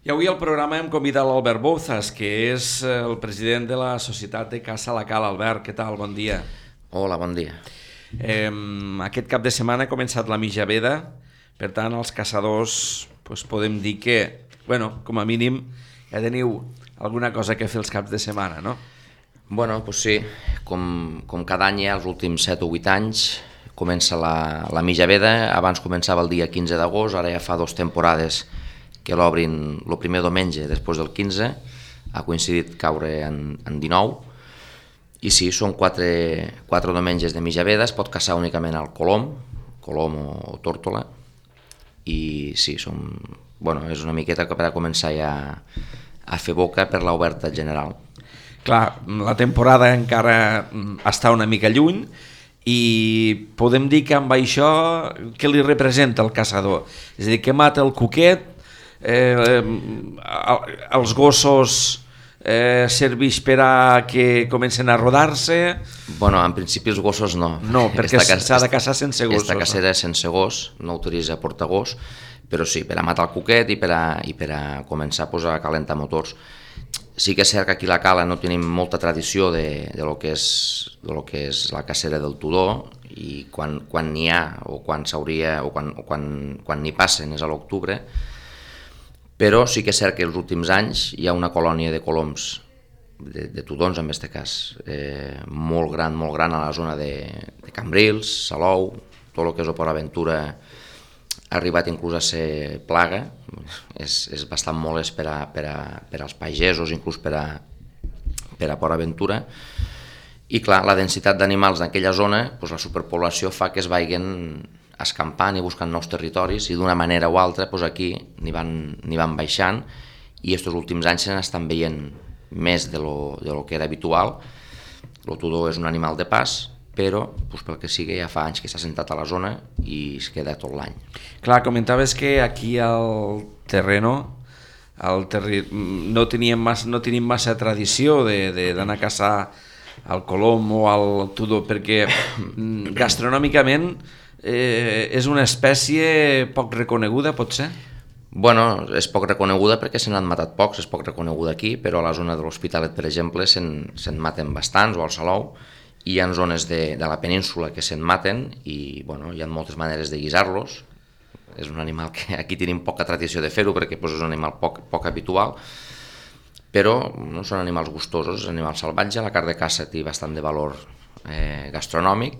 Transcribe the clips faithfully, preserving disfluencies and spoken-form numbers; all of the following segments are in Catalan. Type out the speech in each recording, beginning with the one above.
I avui al programa hem convidat l'Albert Bouzas, que és el president de la Societat de Caça La Cala. Albert, què tal? Bon dia. Hola, bon dia. Eh, aquest cap de setmana ha començat la mitja veda, per tant els caçadors doncs, podem dir que, bueno, com a mínim ja teniu alguna cosa que fer els caps de setmana, no? Bueno, doncs sí, com, com cada any ja els últims set o vuit anys comença la, la mitja veda. Abans començava el dia quinze d'agost, ara ja fa dues temporades que l'obrin el primer diumenge després del quinze, ha coincidit caure en, en dinou, i sí, són quatre, quatre diumenges de mitja veda, es pot caçar únicament al colom, colom o, o tórtola, i sí, som, bueno, és una miqueta per a començar ja a fer boca per l'oberta general. Clar, la temporada encara està una mica lluny, i podem dir que amb això què li representa el caçador? És a dir, que mata el cuquet, eh, eh, els gossos eh, serveix per a que comencen a rodar-se? Bueno, en principi els gossos no. No, perquè s'ha de caçar sense gossos. Esta cacera és sense gos, no utilitza portagós, però sí, per a matar el cuquet i per a, i per a començar pues, a calentar motors. Sí que és cert que aquí a la Cala no tenim molta tradició de, de, lo que és, de lo que és la cacera del tudor, i quan, quan n'hi ha o quan s'hauria o quan, o quan, quan n'hi passen és a l'octubre, però sí que és cert que els últims anys hi ha una colònia de coloms, de, de tudons en aquest cas, eh, molt gran, molt gran a la zona de, de Cambrils, Salou, tot el que és Port Aventura ha arribat inclús a ser plaga, és, és bastant molest per, a, per, a, per als pagesos, inclús per a, per a Port Aventura, i clar, la densitat d'animals d'aquella zona, doncs la superpoblació fa que es vagin escampant i buscant nous territoris, i d'una manera o altra doncs aquí n'hi van, n'hi van baixant, i aquests últims anys se n'estan veient més de lo, de lo que era habitual. El tudor és un animal de pas, però doncs, pel que sigui ja fa anys que s'ha sentat a la zona i es queda tot l'any. Clar, comentaves que aquí al terreno al terri... no, teníem massa, no tenim massa tradició d'anar a caçar al colom o al tudor, perquè gastronòmicament eh, és una espècie poc reconeguda, pot ser? Bueno, és poc reconeguda perquè se n'han matat pocs, és poc reconeguda aquí, però a la zona de l'Hospitalet, per exemple, se'n se maten bastants, o al Salou, i hi ha zones de, de la península que se'n maten, i bueno, hi ha moltes maneres de guisar-los. És un animal que aquí tenim poca tradició de fer-ho perquè pues, és un animal poc, poc habitual, però no són animals gustosos, és un animal salvatge. La carn de caça té bastant de valor eh, gastronòmic,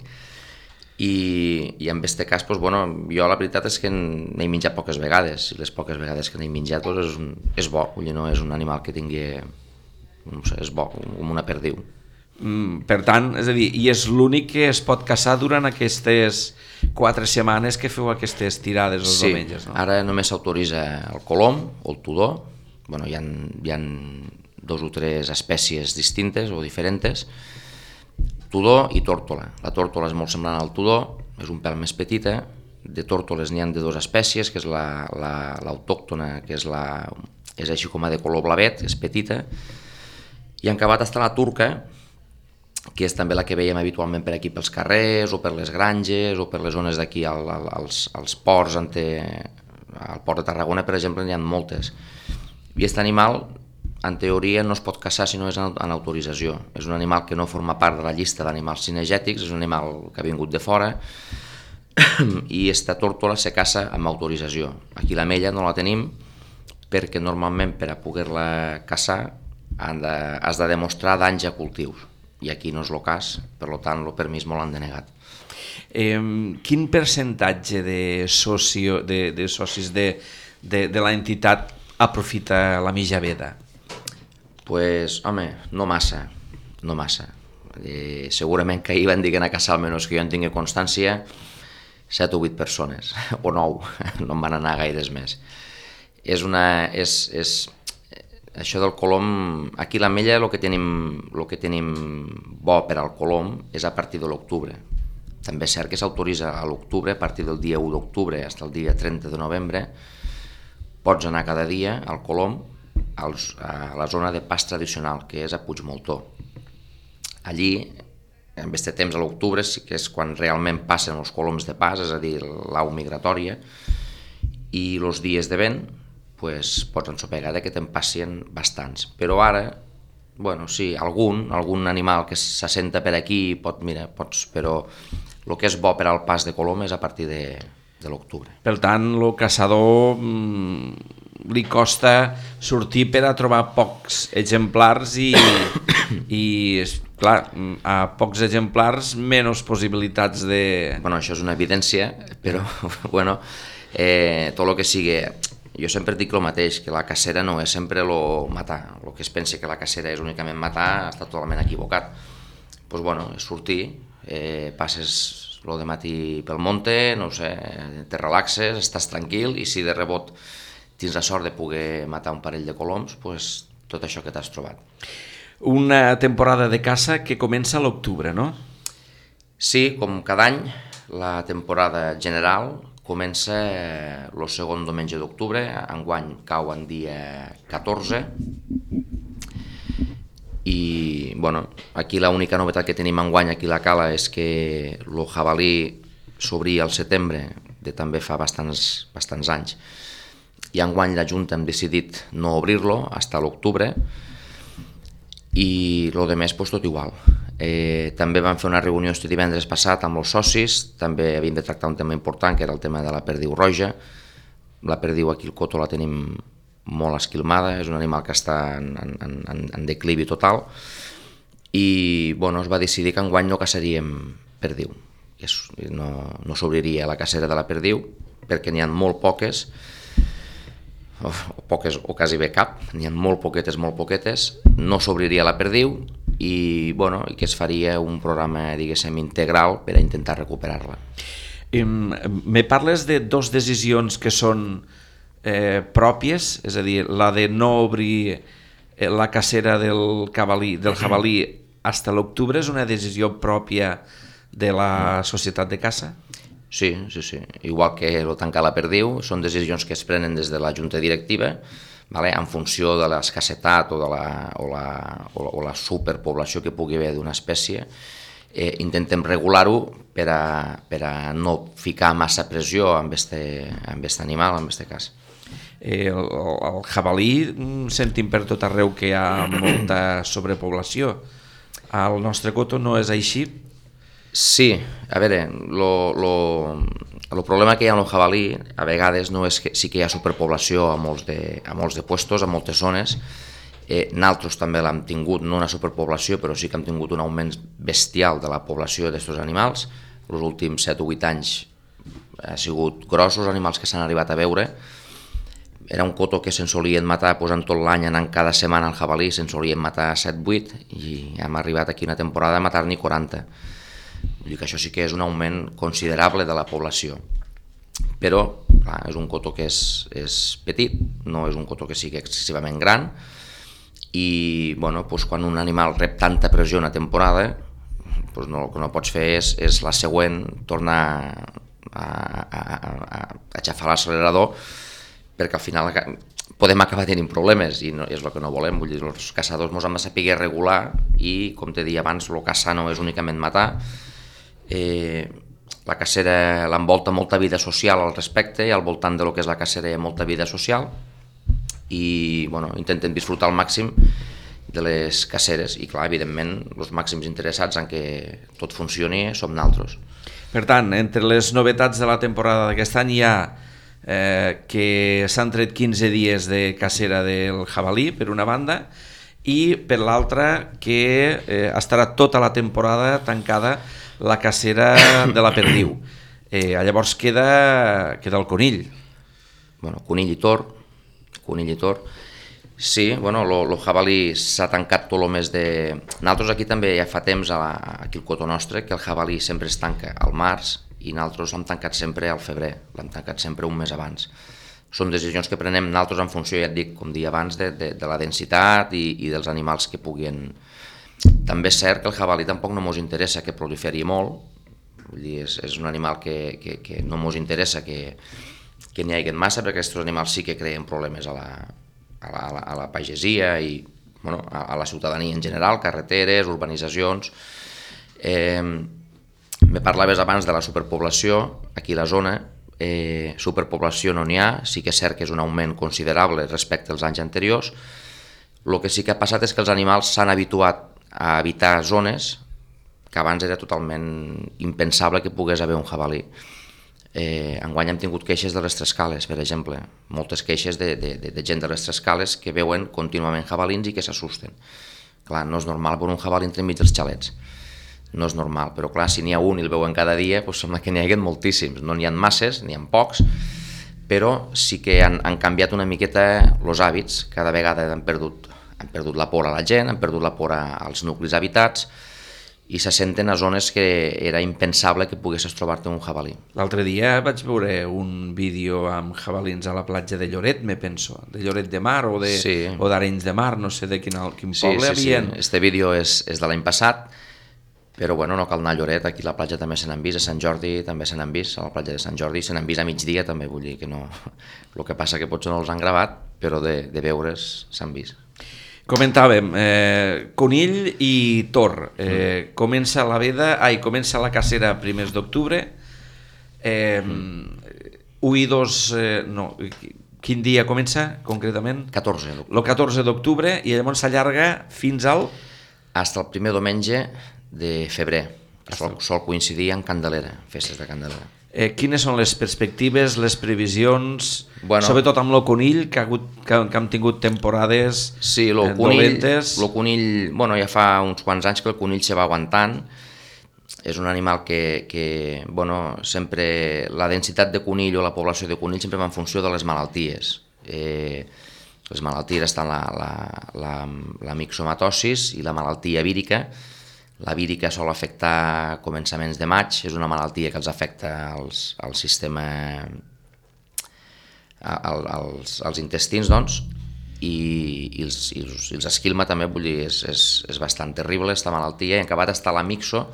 i, i en aquest cas pues, bueno, jo la veritat és que n'he menjat poques vegades, i les poques vegades que n'he menjat pues, és, un, és bo, vull dir, no és un animal que tingui, no sé, és bo, com una perdiu. Mm, per tant, és a dir, i és l'únic que es pot caçar durant aquestes quatre setmanes que feu aquestes tirades els sí, diumenges, no? Ara només s'autoritza el colom o el tudor. Bueno, hi ha, hi ha dos o tres espècies distintes o diferents, tudor i tórtola. La tórtola és molt semblant al tudor, és un pèl més petita. De tórtoles n'hi ha de dues espècies, que és la, la, l'autòctona, que és, la, és així com a de color blavet, és petita, i en acabat està la turca, que és també la que veiem habitualment per aquí pels carrers o per les granges o per les zones d'aquí al, al, als, als ports, ante, al port de Tarragona, per exemple, n'hi ha moltes. I aquest animal, en teoria, no es pot caçar si no és en, en autorització. És un animal que no forma part de la llista d'animals cinegètics, és un animal que ha vingut de fora, i aquesta tórtola se caça amb autorització. Aquí la mella no la tenim perquè normalment per a poder-la caçar de, has de demostrar danys a cultius, i aquí no és el cas, per tant el permís me l'han denegat. Eh, quin percentatge de, socio, de, de socis de, de, de l'entitat aprofita la mitja veda? Pues, home, no massa, no massa. Eh, segurament que ahir van dir que anar a caçar, almenys que jo en tingui constància, set o vuit persones, o nou, no en van anar gaires més. És una... És, és, això del colom, aquí a l'Ametlla el que tenim, el que tenim bo per al colom és a partir de l'octubre. També és cert que s'autoritza a l'octubre, a partir del dia u d'octubre fins al dia trenta de novembre, pots anar cada dia al colom als, a la zona de pas tradicional, que és a Puigmoltó. Allí, en aquest temps a l'octubre, sí que és quan realment passen els coloms de pas, és a dir, l'au migratòria, i els dies de vent, pues, pots ensopegar que te'n passin bastants. Però ara, bueno, sí, algun, algun animal que s'assenta per aquí, pot, mira, pots, però el que és bo per al pas de colom és a partir de, de l'octubre. Per tant, el caçador mm, li costa sortir per a trobar pocs exemplars i, i clar, a pocs exemplars menys possibilitats de... Bueno, això és una evidència, però bueno, eh, tot el que sigui... Jo sempre dic el mateix, que la cacera no és sempre el matar. El que es pensa que la cacera és únicament matar està totalment equivocat. Doncs pues, bueno, és sortir, eh, passes el de matí pel monte, no sé, te relaxes, estàs tranquil i si de rebot tens la sort de poder matar un parell de coloms, pues, tot això que t'has trobat. Una temporada de caça que comença a l'octubre, no? Sí, com cada any, la temporada general comença el segon diumenge d'octubre, enguany cau en dia catorze, i bueno, aquí l'única novetat que tenim enguany aquí a la cala és que el jabalí s'obria al setembre, de també fa bastants, bastants anys, i enguany la Junta hem decidit no obrir-lo fins a l'octubre, i el de més pues, tot igual. Eh, també vam fer una reunió este divendres passat amb els socis, també havíem de tractar un tema important que era el tema de la perdiu roja. La perdiu aquí al Coto la tenim molt esquilmada, és un animal que està en, en, en, en declivi total i bueno, es va decidir que enguany no caçaríem perdiu, no, no s'obriria la cacera de la perdiu perquè n'hi ha molt poques, o poques o quasi bé cap, n'hi ha molt poquetes, molt poquetes, no s'obriria la perdiu i, bueno, i que es faria un programa, diguéssim, integral per a intentar recuperar-la. Me parles de dos decisions que són eh, pròpies, és a dir, la de no obrir la cacera del jabalí, del jabalí fins a l'octubre és una decisió pròpia de la societat de caça? Sí, sí, sí. Igual que el tancar la perdiu, són decisions que es prenen des de la Junta Directiva, vale? En funció de l'escassetat o, de la, o, la, o, la, o la superpoblació que pugui haver d'una espècie, eh, intentem regular-ho per a, per a no ficar massa pressió amb aquest animal, en aquest cas. Eh, el, el jabalí sentim per tot arreu que hi ha molta sobrepoblació. Al nostre Coto no és així? Sí, a veure, el problema que hi ha amb el jabalí a vegades no és que sí que hi ha superpoblació a molts de, a molts de puestos, a moltes zones. Eh, nosaltres també l'hem tingut, no una superpoblació, però sí que hem tingut un augment bestial de la població d'aquests animals. Els últims set o vuit anys ha sigut grossos animals que s'han arribat a veure. Era un coto que se'n solien matar posant tot l'any, anant cada setmana al jabalí, se'n solien matar set o vuit i hem arribat aquí una temporada a matar-n'hi quaranta. Vull dir que això sí que és un augment considerable de la població. Però, clar, és un coto que és, és petit, no és un coto que sigui excessivament gran, i bueno, doncs quan un animal rep tanta pressió una temporada, doncs no, el que no pots fer és, és la següent tornar a, a, a, a xafar l'accelerador, perquè al final podem acabar tenint problemes i no, és el que no volem. Vull dir, els caçadors ens hem de saber regular i, com t'he dit abans, el caçar no és únicament matar. Eh, la cacera l'envolta molta vida social al respecte i al voltant de lo que és la cacera hi ha molta vida social i bueno, intentem disfrutar al màxim de les caceres i clar, evidentment, els màxims interessats en que tot funcioni som nosaltres. Per tant, entre les novetats de la temporada d'aquest any hi ha eh, que s'han tret quinze dies de cacera del jabalí, per una banda, i per l'altra que eh, estarà tota la temporada tancada la cacera de la perdiu. Eh, llavors queda, queda el conill. Bueno, conill i tor, conill i tor. Sí, bueno, el jabalí s'ha tancat tot el mes de... Nosaltres aquí també ja fa temps, a la, aquí al Coto nostre, que el jabalí sempre es tanca al març i nosaltres l'hem tancat sempre al febrer, l'hem tancat sempre un mes abans. Són decisions que prenem nosaltres en funció, ja et dic, com dia abans, de, de, de la densitat i, i dels animals que puguin... També és cert que el jabalí tampoc no ens interessa que proliferi molt, vull dir, és, és un animal que, que, que no ens interessa que, que n'hi hagi massa, perquè aquests animals sí que creen problemes a la, a la, a la, a la pagesia i bueno, a, a la ciutadania en general, carreteres, urbanitzacions. Eh, me parlaves abans de la superpoblació, aquí a la zona, eh, superpoblació no n'hi ha, sí que és cert que és un augment considerable respecte als anys anteriors. El que sí que ha passat és que els animals s'han habituat a habitar zones que abans era totalment impensable que pogués haver un jabalí. Eh, enguany hem tingut queixes de les Trescales, per exemple, moltes queixes de, de, de, de gent de les Trescales que veuen contínuament jabalins i que s'assusten. Clar, no és normal veure un jabalí entremig dels xalets, no és normal, però clar, si n'hi ha un i el veuen cada dia, doncs sembla que n'hi hagi moltíssims, no n'hi ha masses, n'hi ha pocs, però sí que han, han canviat una miqueta els hàbits, cada vegada han perdut, han perdut la por a la gent, han perdut la por als nuclis habitats, i se senten a zones que era impensable que poguessis trobar-te un jabalí. L'altre dia vaig veure un vídeo amb jabalins a la platja de Lloret, me penso, de Lloret de Mar o de sí. o d'Arenys de Mar, no sé de quin, quin sí, poble sí, havien. Sí. Este vídeo és, és de l'any passat, però bueno, no cal anar a Lloret, aquí a la platja també se n'han vist, a Sant Jordi també se n'han vist, a la platja de Sant Jordi se n'han vist a migdia també, vull dir que no... El que passa que potser no els han gravat, però de, de veure's s'han vist. Comentàvem, eh, conill i tor. Eh, mm. Comença la veda, ai, comença la cacera a primers d'octubre. Eh, mm. u i dos, eh, no, quin dia comença concretament? catorze d'octubre. El catorze d'octubre i llavors s'allarga fins al... Hasta el primer diumenge de febrer, que sol, sol coincidir amb Candelera, festes de Candelera. Eh, quines són les perspectives, les previsions, bueno, sobretot amb el conill, que, ha hagut, que, que hem tingut temporades sí, lo eh, conill, dolentes? El conill, bueno, ja fa uns quants anys que el conill se va aguantant, és un animal que, que bueno, sempre, la densitat de conill o la població de conill sempre va en funció de les malalties. Eh, les malalties estan la, la, la, la mixomatosis i la malaltia vírica. La vírica sol afectar començaments de maig, és una malaltia que els afecta als, al sistema, al, als, als intestins, doncs, i, i, els, i, els, i els esquilma també, vull dir, és, és, és bastant terrible aquesta malaltia. I en acabat està la mixo,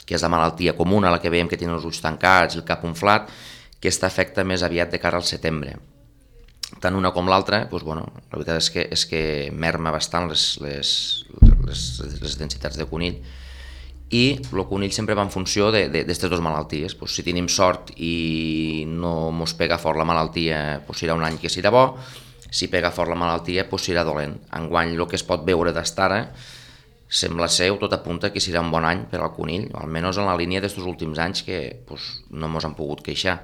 que és la malaltia comuna, la que veiem que tenen els ulls tancats i el cap inflat, que aquesta afecta més aviat de cara al setembre. Tant una com l'altra, doncs, bueno, la veritat és que, és que merma bastant les, les, les, les densitats de conill, i el conill sempre va en funció d'aquestes dues malalties. Pues, si tenim sort i no mos pega fort la malaltia, pues, serà un any que serà bo, si pega fort la malaltia, pues, serà dolent. Enguany el que es pot veure d'estara sembla ser, tot apunta que serà un bon any per al conill, almenys en la línia d'aquests últims anys que pues, no mos han pogut queixar.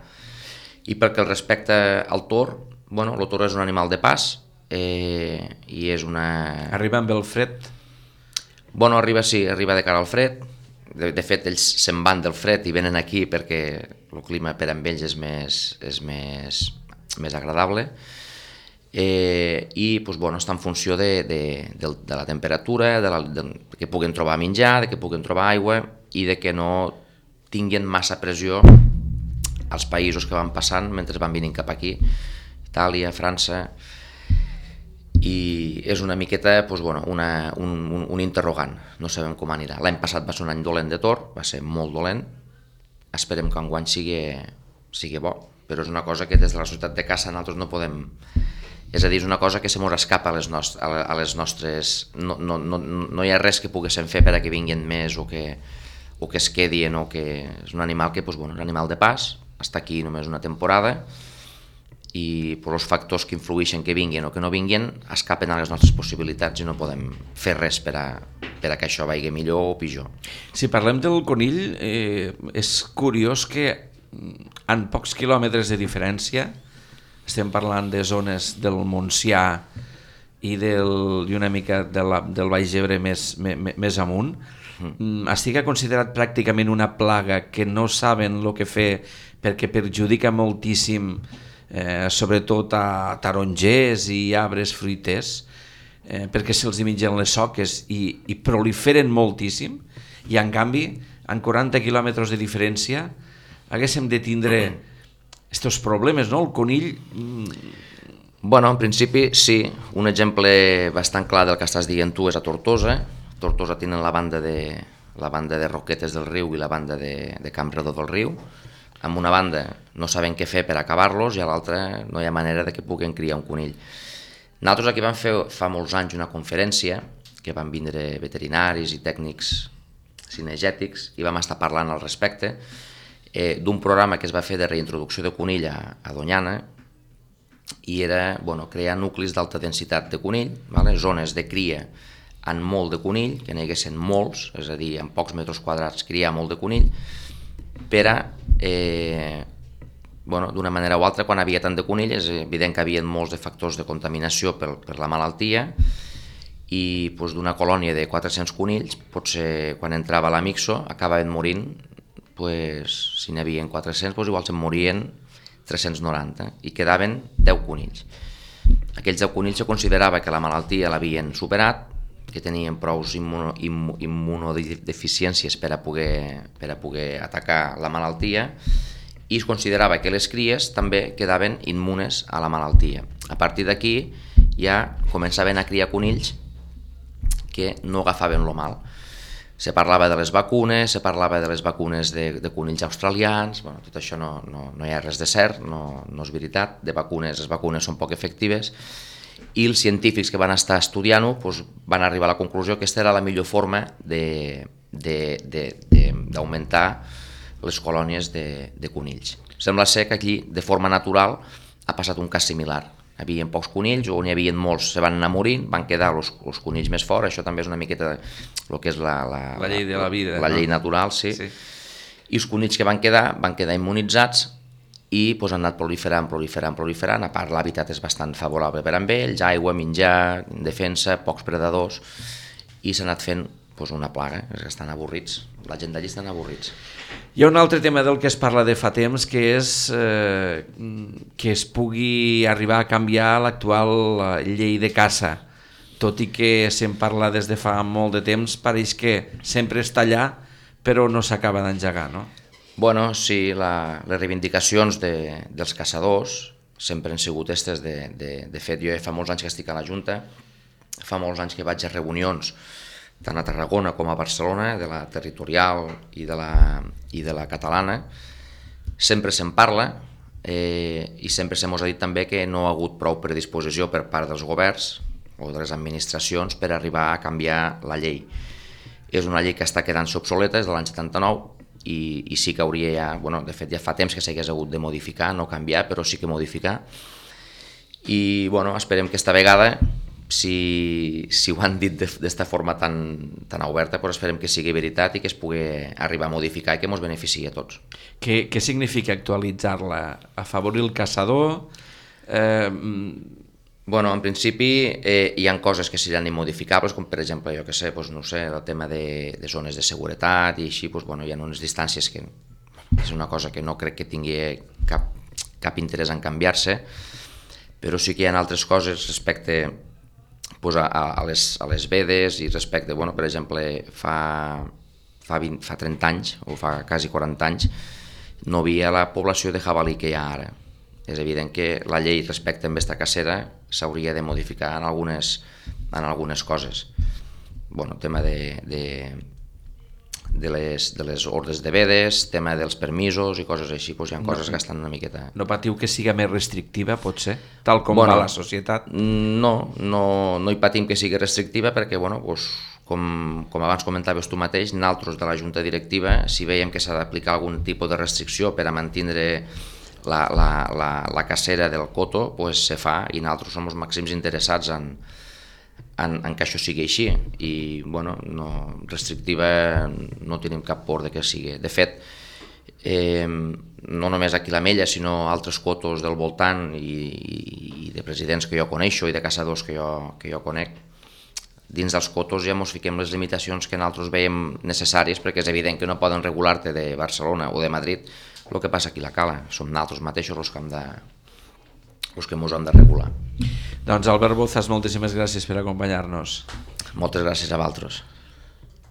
I perquè respecte al tor, bueno, el tor és un animal de pas, eh, i és una... Arriba amb el fred? Bueno, arriba, sí, arriba de cara al fred. De, de fet, ells se'n van del fred i venen aquí perquè el clima per amb ells és més, és més, més agradable. Eh, I pues, bueno, està en funció de, de, de, de la temperatura, de, la, de que puguen trobar menjar, de que puguen trobar aigua i de que no tinguin massa pressió als països que van passant mentre van venint cap aquí, Itàlia, França... I és una miqueta doncs, bueno, una, un, un, un interrogant, no sabem com anirà. L'any passat va ser un any dolent de tor, va ser molt dolent, esperem que enguany sigui, sigui bo, però és una cosa que des de la societat de caça nosaltres no podem... És a dir, és una cosa que se mos escapa a les, nost a les nostres... No, no, no, no hi ha res que poguéssim fer per a que vinguin més o que, o que es quedin, o que... És un animal que, doncs, bueno, és un animal de pas, està aquí només una temporada, i per els factors que influeixen que vinguin o que no vinguin escapen a les nostres possibilitats i no podem fer res per a, per a que això vagi millor o pitjor. Si parlem del conill, eh, és curiós que en pocs quilòmetres de diferència, estem parlant de zones del Montsià i, del, i una mica de la, del Baix Ebre més, més, més amunt, mm. estigui considerat pràcticament una plaga que no saben el que fer perquè perjudica moltíssim Eh, sobretot a tarongers i arbres fruiters, eh, perquè se'ls mengen les soques i, i proliferen moltíssim, i en canvi, en quaranta quilòmetres de diferència, haguéssim de tindre aquests problemes, no? El conill... Bueno, en principi sí, un exemple bastant clar del que estàs dient tu és a Tortosa. Tortosa tenen la banda de, la banda de Roquetes del Riu i la banda de, de Camp Redó del Riu. Amb una banda no saben què fer per acabar-los i a l'altra no hi ha manera de que puguin criar un conill. Nosaltres aquí vam fer fa molts anys una conferència que van vindre veterinaris i tècnics cinegètics i vam estar parlant al respecte. eh, d'un programa que es va fer de reintroducció de conill a, a Doñana, i era bueno, crear nuclis d'alta densitat de conill, vale? Zones de cria en molt de conill, que n'hi haguessin molts, és a dir, en pocs metres quadrats criar molt de conill, per a, eh, bueno, d'una manera o altra, quan havia tant de conill, és evident que hi havia molts de factors de contaminació per, per la malaltia, i doncs, d'una colònia de quatre-cents conills, potser quan entrava la mixo acabaven morint, pues, si n'hi havia quatre-cents, doncs igual se'n morien tres-cents noranta i quedaven deu conills. Aquells deu conills se considerava que la malaltia l'havien superat, que tenien prou immuno, immunodeficiències per a, poder, per a poder atacar la malaltia, i es considerava que les cries també quedaven immunes a la malaltia. A partir d'aquí ja començaven a criar conills que no agafaven lo mal. Se parlava de les vacunes, se parlava de les vacunes de, de conills australians, bueno, tot això no, no, no hi ha res de cert, no, no és veritat, de vacunes, les vacunes són poc efectives, i els científics que van estar estudiant-ho doncs, van arribar a la conclusió que aquesta era la millor forma d'augmentar les colònies de, de conills. Sembla ser que aquí, de forma natural, ha passat un cas similar. Hi havia pocs conills, o n'hi havia molts, se van anar morint, van quedar els, els conills més forts, això també és una miqueta el que és la, la, la llei de la vida. La, la no? llei natural, sí. sí. I els conills que van quedar, van quedar immunitzats i doncs, han anat proliferant, proliferant, proliferant. A part, l'hàbitat és bastant favorable per amb ells, aigua, menjar, defensa, pocs predadors, i s'ha anat fent doncs, una plaga, és que estan avorrits, la gent d'allí estan avorrits. Hi ha un altre tema del que es parla de fa temps, que és eh, que es pugui arribar a canviar l'actual llei de caça. Tot i que se'n parla des de fa molt de temps, pareix que sempre està allà, però no s'acaba d'engegar, no? Bueno, sí, la, les reivindicacions de, dels caçadors sempre han sigut aquestes. De, de, de fet, jo fa molts anys que estic a la Junta, fa molts anys que vaig a reunions tant a Tarragona com a Barcelona, de la territorial i de la, i de la catalana, sempre se'n parla, eh, i sempre se mos ha dit també que no ha hagut prou predisposició per part dels governs o de les administracions per arribar a canviar la llei. És una llei que està quedant-se obsoleta, és de l'any setanta-nou, i, i sí que hauria ja, bueno, de fet ja fa temps que s'hagués hagut de modificar, no canviar, però sí que modificar. I bueno, esperem que esta vegada, si, si ho han dit d'esta forma tan, tan oberta, doncs esperem que sigui veritat i que es pugui arribar a modificar i que ens beneficiï a tots. Què, què significa actualitzar-la? Afavorir el caçador? Eh... Bueno, en principi eh, hi ha coses que seran immodificables, com per exemple, jo que sé, doncs, no sé, el tema de, de zones de seguretat i així, doncs, bueno, hi ha unes distàncies que és una cosa que no crec que tingui cap, cap interès en canviar-se, però sí que hi ha altres coses respecte pues, a, a, les, a les vedes i respecte, bueno, per exemple, fa, fa, vint, fa trenta anys o fa quasi quaranta anys no hi havia la població de jabalí que hi ha ara. És evident que la llei respecte a aquesta cacera s'hauria de modificar en algunes, en algunes coses. Bueno, tema de, de, de, les, de les ordres de vedes, tema dels permisos i coses així, doncs hi ha coses que estan una miqueta... No patiu que siga més restrictiva, potser, tal com bueno, va la societat? No, no, no hi patim que sigui restrictiva perquè, bueno, doncs, com, com abans comentaves tu mateix, nosaltres de la Junta Directiva, si veiem que s'ha d'aplicar algun tipus de restricció per a mantenir la, la, la, la cacera del coto, pues se fa, i nosaltres som els màxims interessats en, en, en que això sigui així, i bueno, no, restrictiva no tenim cap por de que sigui. De fet, eh, no només aquí a l'Ametlla, sinó altres cotos del voltant i, i de presidents que jo coneixo i de caçadors que jo, que jo conec, dins dels cotos ja ens fiquem les limitacions que nosaltres veiem necessàries, perquè és evident que no poden regular-te de Barcelona o de Madrid el que passa aquí a la cala. Som nosaltres mateixos els que hem de, els que ens hem de regular. Doncs Albert Bouzas, moltíssimes gràcies per acompanyar-nos. Moltes gràcies a vosaltres.